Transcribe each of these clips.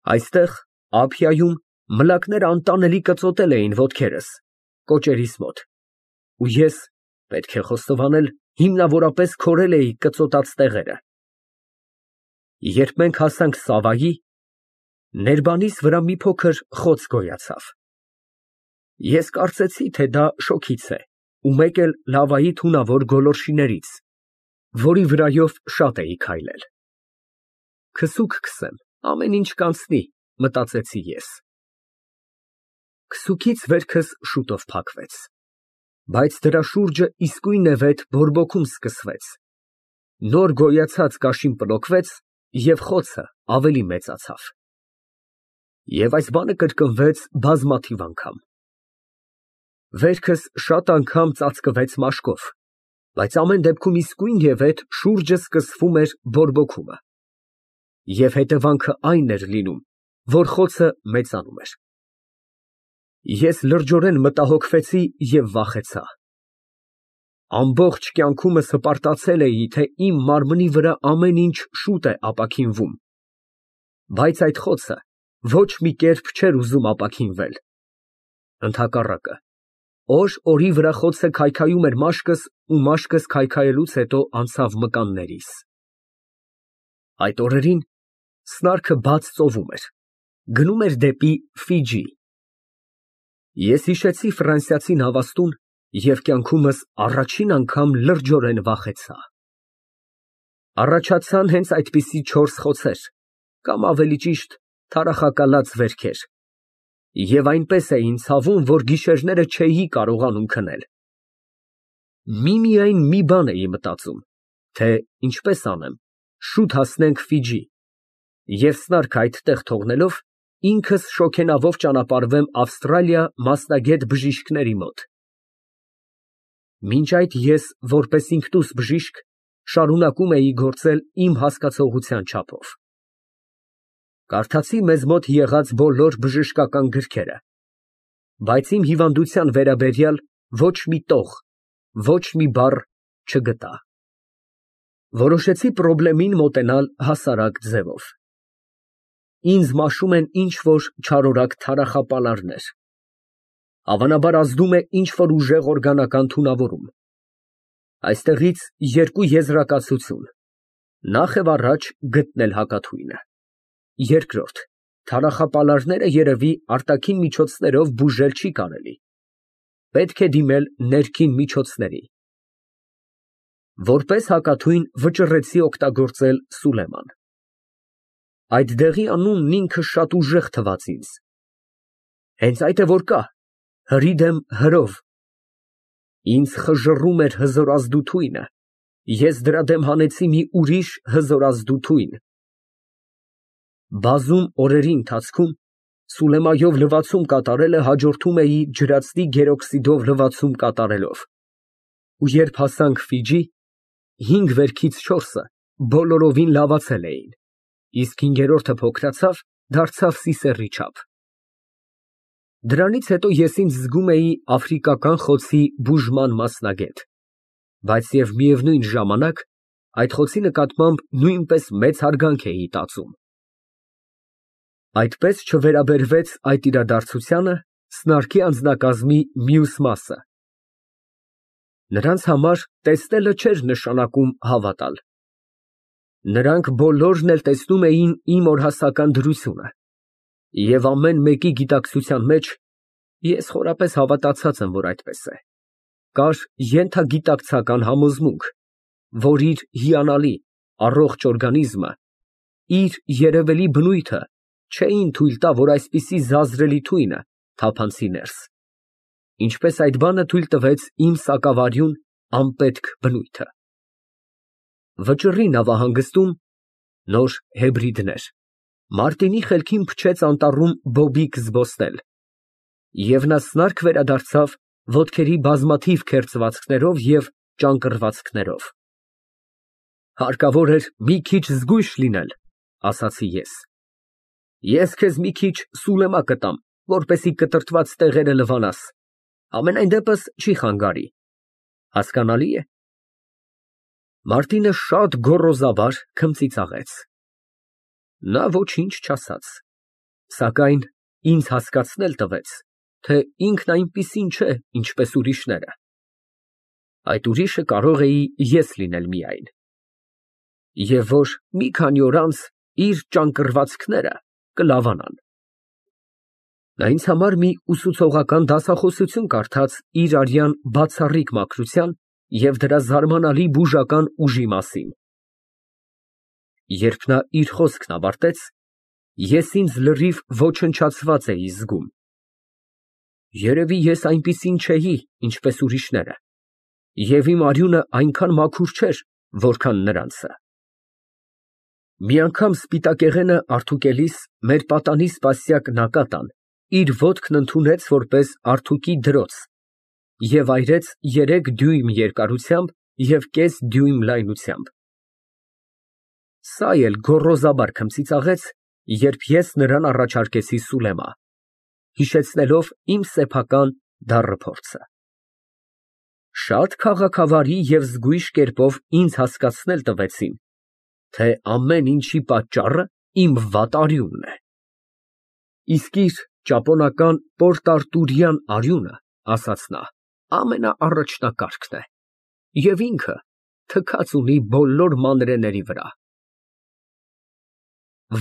Այստեղ, Ափիայում, մլակները անտանելի կծոտել էին ոտքերս, կոճերիս մոտ, ու ես, պետք է խոստովանել, հիմնավորապես քորել էի կծոտած տեղերը։ Երբ մենք հասանք Սավայի, ներբանիս վրա մի փոքր խոց գոյացավ։ Ես կարծեցի, թե դա շոգից է, ու մեկ էլ լավայի թունավոր գոլորշիներից, որի վրայով շատ էի քայլել։ Քսուկ քսեմ, ամեն ինչ կանցնի, մտածեցի ես։ Քսուկից վերքս շուտով փակվեց, բայց դրա շուրջը իսկույնևեթ բորբոքում սկսվեց, նոր գոյացած կաշին պլոկվեց և խոցը ավելի մեծացավ։ Եվ այս բանը կրկնվեց բազմաթիվ անգամ։ Վերքս շատ անգամ ծածկվեց մաշկով, բայց ամեն դեպքում իսկույնևեթ շուրջը սկսվում էր բորբոքումը։ Եվ հետևանքը այն էր լինում, որ խոցը մեծանում էր։ Ես լրջորեն մտահոգվեցի և վախեցա։ Ամբողջ կյանքումս հպարտացել էի, թե իմ մարմնի վրա ամեն ինչ շուտ է ապաքինվում, բայց այդ խոցը ոչ մի կերպ չէր ուզում ապաքինվել։ Ընդհակառակը, օր օրի վրա խոցը քայքայում էր մաշկս ու մաշկս քայքայելուց հետո անցավ մկաններիս։ Այդ օրերին սնարքը բաց ծովում էր, գնում էր դեպի Ֆիջի։ Ես հիշեցի ֆրանսիացի նավաստուն և կյանքումս առաջին անգամ լրջորեն վախեցա։ Առաջացան հենց այդպիսի 4 խոցեր, կամ ավելի ճիշտ թարախակալած վերքեր, և այնպես էին ցավում, որ գիշերները չէի կարողանում քնել։ Միմիայն մի բան էի մտածում, թե ինչպես անեմ, շուտ հասնենք Ֆիջի, և սնարքը այդտեղ թողնելով, ինքս շոգենավով ճանապարհվեմ Ավստրալիա մասնագետ բժիշկների մոտ։ Մինչ այդ ես, որպես ինքնուս բժիշկ, շարունակում էի գործել իմ հասկացողության չափով։ Կարդացի մեզ մոտ եղած բոլոր բժշկական գրքերը, բայց իմ հիվանդության վերաբերյալ ոչ մի տող, ոչ մի բառ չգտա։ Որոշեցի խնդրին մոտենալ հասարակ ձևով։ Ինձ մաշում են ինչ֊որ չարորակ թարախապալարներ։ Հավանաբար ազդում է ինչ֊որ ուժեղ օրգանական թունավորում։ Այստեղից երկու եզրակացություն. նախ և առաջ գտնել հակաթույնը, երկրորդ, թարախապալարները երևի արտաքին միջոցներով բուժել չի կարելի, պետք է դիմել ներքին միջոցների։ Որպես հակաթույն վճռեցի օգտագործել Սուլեման։ Այդ դեղի անունն ինքը շատ ուժեղ թվաց ինձ։ Հենց այդ է որ կա, հրիդ եմ հրով։ Ինձ խժռում էր հզորազդու թույնը, ես դրա դեմ հանեցի մի ուրիշ հզորազդու թույն։ Բազում օրերի ընթացքում Սուլեմայով լվացում կատարելը հաջորդում էի ջրածնի գերօքսիդով լվացում կատարելով, ու երբ հասանք Ֆիջի, 5 վերքից 4-ը բոլորովին լավացել էին, իսկ 5-րդը փոքրացավ, դարձավ սիսեռի չափ։ Դրանից հետո ես ինձ զգում էի աֆրիկական խոցի բուժման մասնագետ, բայց և միևնույն ժամանակ այդ խոցի նկատմամբ նույնպես մեծ հարգանք էի տածում։ Այդպես չվերաբերվեց այդ իրադարձությանը սնարքի անձնակազմի մյուս մասը։ Նրանց համար տեսնելը չէր նշանակում հավատալ։ Նրանք բոլորն էլ տեսնում էին իմ օրհասական դրությունը, և ամեն մեկի գիտակցության մեջ (ես խորապես հավատացած եմ, որ այդպես է) կար ենթագիտակցական համոզմունք, որ իր հիանալի, առողջ օրգանիզմը, իր երևելի բնույթը չէին թույլ տա, որ այսպիսի զազրելի թույնը թափանցի ներս, ինչպես այդ բանը թույլ տվեց իմ սակավարյուն, անպետք բնույթը։ Վճռի նավահանգստում (նոր հեբրիդներ) Մարտինի խելքին փչեց անտառում բոբիկ զբոսնել, և նա սնարք վերադարձավ ոտքերի բազմաթիվ քերծվածքներով և ճանկռվածքներով։ Հարկավոր էր մի քիչ զգույշ լինել, ասացի ես։ Ես քեզ մի քիչ Սուլեմա կտամ, որպեսզի կտրտված տեղերը լվանաս, համենայն դեպս չի խանգարի, հասկանալի է։ Մարտինը շատ գոռոզաբար քմծիծաղեց։ Նա ոչինչ չասաց, Սակայն ինձ հասկացնել տվեց, թե ինքն այնպիսին չէ, ինչպես ուրիշները։ Այդ ուրիշը կարող էի ես լինել միայն։ Եվ որ մի քանի օր անց իր ճանկռվածքները կլավանան։ Նա ինձ համար մի ուսուցողական դասախոսություն կարդաց իր արյան բացառիկ մաքրության և դրա զարմանալի բուժական ուժի մասին։ Երբ նա իր խոսքն ավարտեց, ես ինձ լրիվ ոչնչացված էի զգում։ Երևի ես այնպիսին չէի, ինչպես ուրիշները, և իմ արյունը այնքան մաքուր չէր, որքան նրանցը։ Մի անգամ սպիտակեղենը արդուկելիս մեր պատանի սպասյակ Նակատան իր ոտքն ընդունեց որպես արթուկի դրոց և այրեց 3 դյույմ երկարությամբ և կես դյույմ լայնությամբ։ Սա էլ գոռոզաբար քմծիծաղեց, երբ ես նրան առաջարկեցի Սուլեմա, հիշեցնելով իմ սեփական դառը փորձը։ Շատ քաղաքավարի և զգույշ կերպով ինձ հասկացնել տվեցին, թե ամեն ինչի պատճառը իմ վատ արյունն է։ Իսկ իր ճապոնական պորտարտուրյան արյունը, ասաց նա, ամենաառաջնակարգն է, և ինքը թքած ունի բոլոր մանրէների վրա։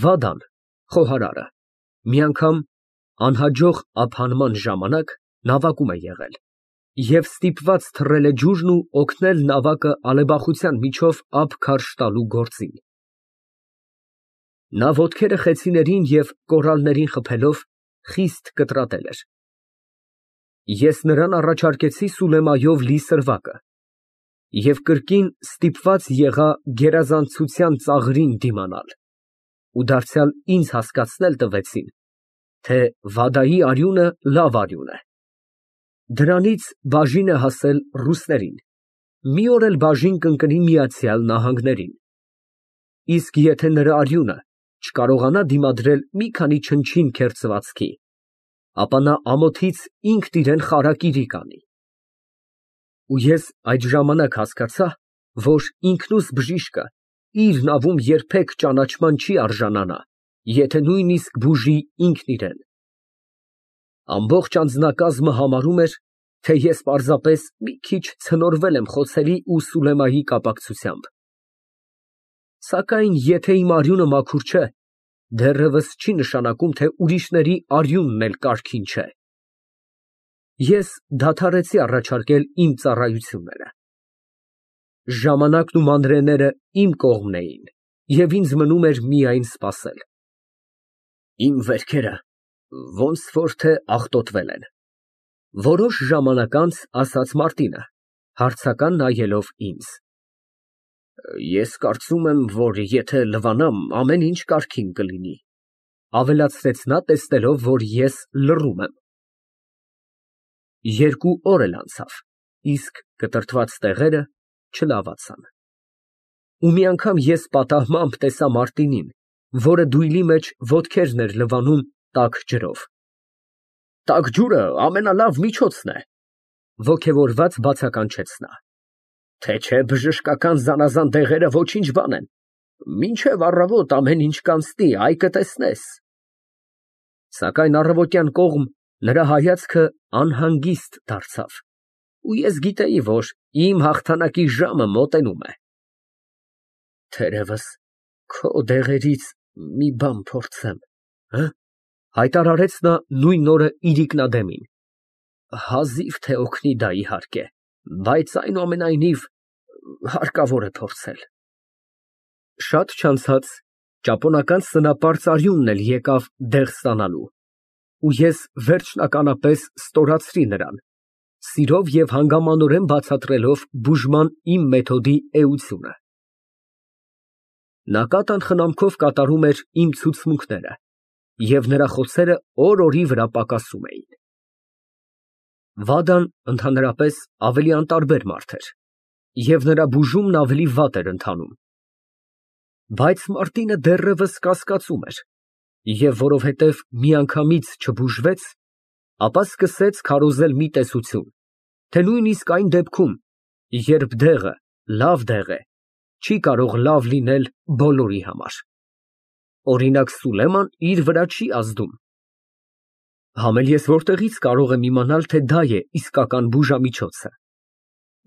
Վադան, խոհարարը, մի անգամ անհաջող ափանման ժամանակ նավակում է եղել և ստիպված թռել է ջուրն ու օգնել նավակը ալեբախության միջով ափ քարշ տալու գործին։ Նա ոտքերը խեցիներին և կորալներին խփելով խիստ կտրատել էր։ Ես նրան առաջարկեցի Սուլեմայով լի սրվակը և կրկին ստիպված եղա գերազանցության ծաղրին դիմանալ, ու դարձյալ ինձ հասկացնել տվեցին, թե Վադայի արյունը լավ արյուն է։ Դրանից բաժին է հասել ռուսներին, մի օր էլ բաժին կընկնի Միացյալ Նահանգներին։ Իսկ եթե նրա արյունը չկարողանա դիմադրել մի քանի չնչին քերծվածքի, ապա նա ամոթից ինքն իրան խարակիրի կանի։ Ու ես այդ ժամանակ հասկացա, որ ինքնուս բժիշկը իր նավում երբեք ճանաչման չի արժանանա, եթե նույնիսկ բուժի ինքն իրան։ Ամբողջ անձնակազմը համարում էր, թե ես պարզապես մի քիչ ցնորվել եմ խոցելի ու Սուլեմայի կապակցությամբ։ Սակայն եթե իմ արյունը մաքուր չէ, դեռևս չի նշանակում, թե ուրիշների արյունն էլ կարգին չէ։ Ես դադարեցի առաջարկել իմ ծառայությունները։ Ժամանակն ու մանրէները իմ կողմն էին, և ինձ մնում էր միայն սպասել։ Իմ վերքերը ոնց որ թե աղտոտվել են, որոշ ժամանակ անց ասաց Մարտինը, հարցական նայելով ինձ։ Ես կարծում եմ, որ եթե լվանամ, ամեն ինչ կարգին կլինի, ավելացրեց նա, տեսնելով, որ ես լռում եմ։ 2 օր էլ անցավ, իսկ կտրտված տեղերը չլավացան։ Ու մի անգամ ես պատահմամբ տեսա Մարտինին, որը դույլի մեջ ոտքերն էր լվանում տաք ջրով։ Տաք ջուրը ամենալավ միջոցն է, ոգևորված բացականչեց նա։ Թե չէ բժշկական զանազան դեղերը ոչինչ բան են, մինչև առավոտ ամեն ինչ կանցնի, այ կտեսնես։ Սակայն առավոտյան կողմ նրա հայացքը անհանգիստ դարձավ, ու ես գիտեի, որ իմ հաղթանակի ժամը մոտենում է։ Թերևս քո դեղերից մի բան փորձեմ, հայտարարեց նա նույն օրը իրիկնադեմին։ Հազիվ թե օգնի դա, իհարկե, բայց այնուամենայնիվ հարկավոր է փորձել։ Շատ չանցած ճապոնական սնապարծ արյունն էլ եկավ դեղ ստանալու, ու ես վերջնականապես ստորացրի նրան, սիրով և հանգամանորեն բացատրելով բուժման իմ մեթոդի էությունը։ Նակատան խնամքով կատարում էր իմ ցուցմունքները, և նրա խոսերը օր֊օրի վրա պակասում էին։ Վադան ընդհանրապես ավելի անտարբեր մարդ էր, և նրա բուժումն ավելի վատ էր ընթանում։ Բայց Մարտինը դեռևս կասկածում էր, և որովհետև միանգամից չբուժվեց, ապա սկսեց քարոզել մի տեսություն, թե նույնիսկ այն դեպքում, երբ դեղը լավ դեղ է, չի կարող լավ լինել բոլորի համար։ օրինակ Սուլեման իր վրա չի ազդում։ Համել ես որտեղից կարող եմ իմանալ, թե դա է իսկական բուժամիջոցը։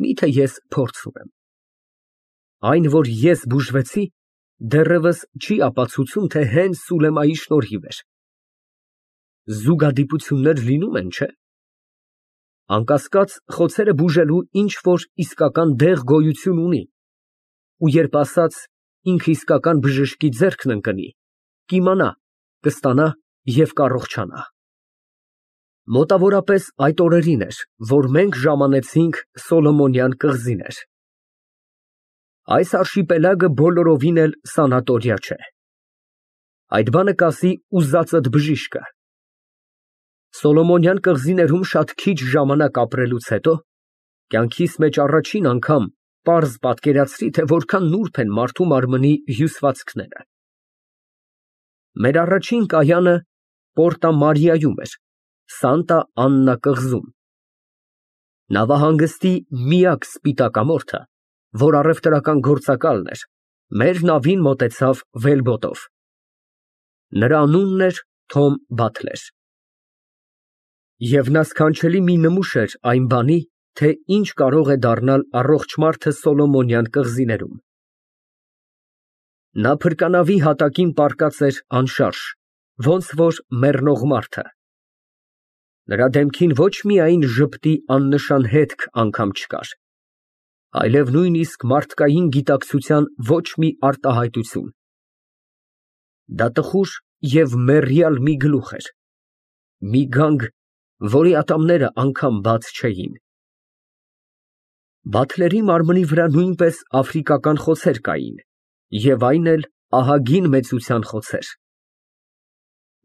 Միթե ես փորձ ունեմ։ Այն, որ ես բուժվեցի, դեռևս չի ապացուցում, թե հենց Սուլեմայի շնորհիվ էր։ Զուգադիպություններ լինում են, չէ՞։ Անկասկած, խոցերը բուժելու ինչ որ իսկական դեղ գոյություն ունի, ու երբ ասած ինքը իսկական բժշկի ձեռքն ընկնի, կիմանա, կստանա և կառողջանա։ Մոտավորապես այդ օրերին էր, որ մենք ժամանեցինք Սոլոմոնյան կղզիներ։ Այս արշիպելագը բոլորովին էլ սանատորիա չէ։ Այդ բանը կասի ուզածդ բժիշկը։ Սոլոմոնյան կղզիներում շատ քիչ ժամանակ ապրելուց հետո կյանքիս մեջ առաջին անգամ պարզ պատկերացրի, թե որքան նուրբ են մարդու մարմնի հյուսվածքները։ Մեր առաջին կայանը Պորտա Մարիայում էր, Սանտա Աննա կղզում։ Նավահանգստի միակ սպիտակամորթը, որ առևտրական գործակալն էր, մեր նավին մոտեցավ վելբոտով։ Նրա անունն էր Թոմ Բաթլեր։ Եվ նա սքանչելի մի նմուշ էր այն բանի, թե ինչ կարող է դառնալ առողջ մարդը Սոլոմոնյան կղզիներում։ Նա փրկանավի հատակին պառկած էր անշարժ, ոնց որ մեռնող մարդը։ Նրա դեմքին ոչ միայն ժպտի աննշան հետք անգամ չկար, այլև նույնիսկ մարդկային գիտակցության ոչ մի արտահայտություն։ Դա տխուր և մեռյալ մի գլուխ էր, մի գանգ, որի ատամները անգամ բաց չէին։ Բաթլերի մարմնի վրա նույնպես աֆրիկական խոցեր կային, և այն էլ ահագին մեծության խոցեր։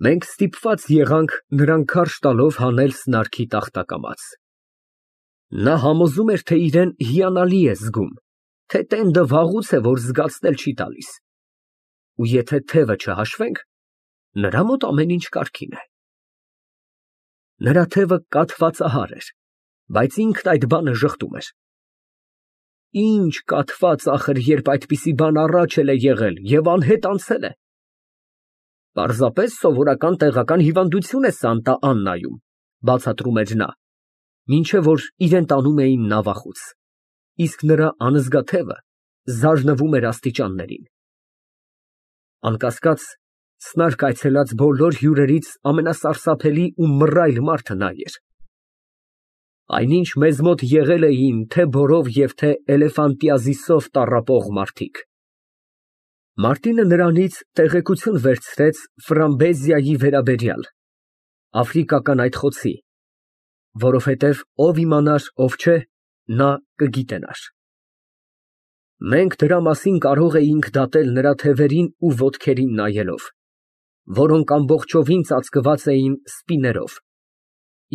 Մենք ստիպված եղանք նրան քարշ տալով հանել սնարքի տախտակամաց։ Նա համոզում էր, թե իրեն հիանալի է զգում, թե տենդը վաղուց է, որ զգացնել չի տալիս, ու եթե թևը չհաշվենք, նրա մոտ ամեն ինչ կարգին է։ Նրա թևը կաթվածահար էր, բայց ինքն այդ բանը ժխտում էր։ Ինչ կաթված ախր, երբ այդպիսի բան առաջ էլ է եղել և անհետ անցել է։ Պարզապես սովորական տեղական հիվանդություն է Սանտա Աննայում, բացատրում էր նա, մինչև որ իրեն տանում էին նավախոց, իսկ նրա անզգա թևը զարնվում էր աստիճաններին։ Անկասկած, սնարք այցելած բոլոր հյուրերից ամենասարսափելի ու մռայլ մարդը նա էր։ Այնինչ մեզ մոտ եղել էին թե բորով և թե էլեֆանտիազիսով տառապող մարդիկ։ Մարտինը նրանից տեղեկություն վերցրեց Ֆրամբեզիայի վերաբերյալ, աֆրիկական այդ խոցի, որովհետև ով իմանար, ով չէ, նա կգիտենար։ Մենք դրա մասին կարող էինք դատել նրա թևերին ու ոտքերին նայելով, որոնք ամբողջովին ծածկված էին սպիներով,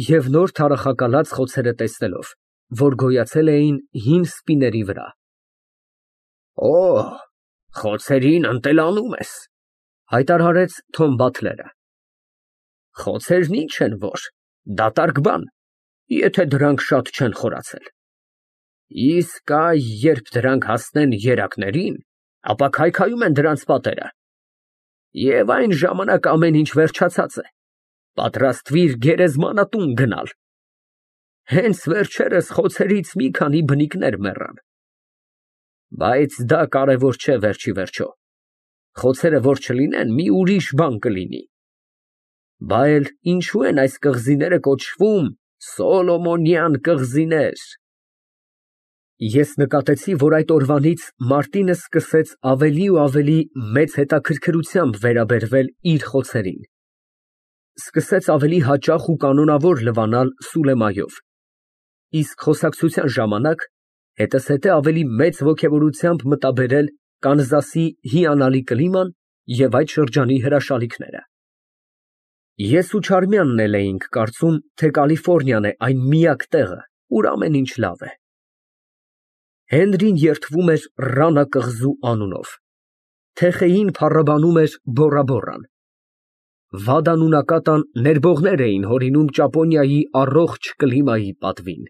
և նոր թարախակալած խոցերը տեսնելով, որ գոյացել էին հին սպիների վրա։ Օ, խոցերին ընտելանում ես, հայտարարեց Թոմ Բաթլերը։ Խոցերն ինչ են որ, դատարկ բան, եթե դրանք շատ չեն խորացել։ Իսկ այ երբ դրանք հասնեն երակներին, ապա քայքայում են դրանց պատերը։ Եվ այն ժամանակ ամեն ինչ վերջացած է, պատրաստվիր գերեզմանատուն գնալ։ Հենց վերջերս խոցերից մի քանի բնիկներ մեռան։ Բայց դա կարևոր չէ վերջիվերջո, խոցերը որ չլինեն, մի ուրիշ բան կլինի։ Բա էլ ինչու են այս կղզիները կոչվում Սոլոմոնյան կղզիներ։ Ես նկատեցի, որ այդ օրվանից Մարտինը սկսեց ավելի ու ավելի մեծ հետաքրքրությամբ վերաբերվել իր խոցերին, սկսեց ավելի հաճախ ու կանոնավոր լվանալ Սուլեմայով, իսկ խոսակցության ժամանակ հետզհետե ավելի մեծ ոգևորությամբ մտաբերել Կանզասի հիանալի կլիման և այդ շրջանի հրաշալիքները։ Ես ու Չարմյանն էլ էինք կարծում, թե Կալիֆոռնիան է այն միակ տեղը, ուր ամեն ինչ լավ է։ Հենրին երդվում էր Ռանա կղզու անունով, Թեխեին փառաբանում էր Բորա Բորան։ Վադան ու Նակատան ներբողներ էին հորինում Ճապոնիայի առողջ կլիմայի պատվին։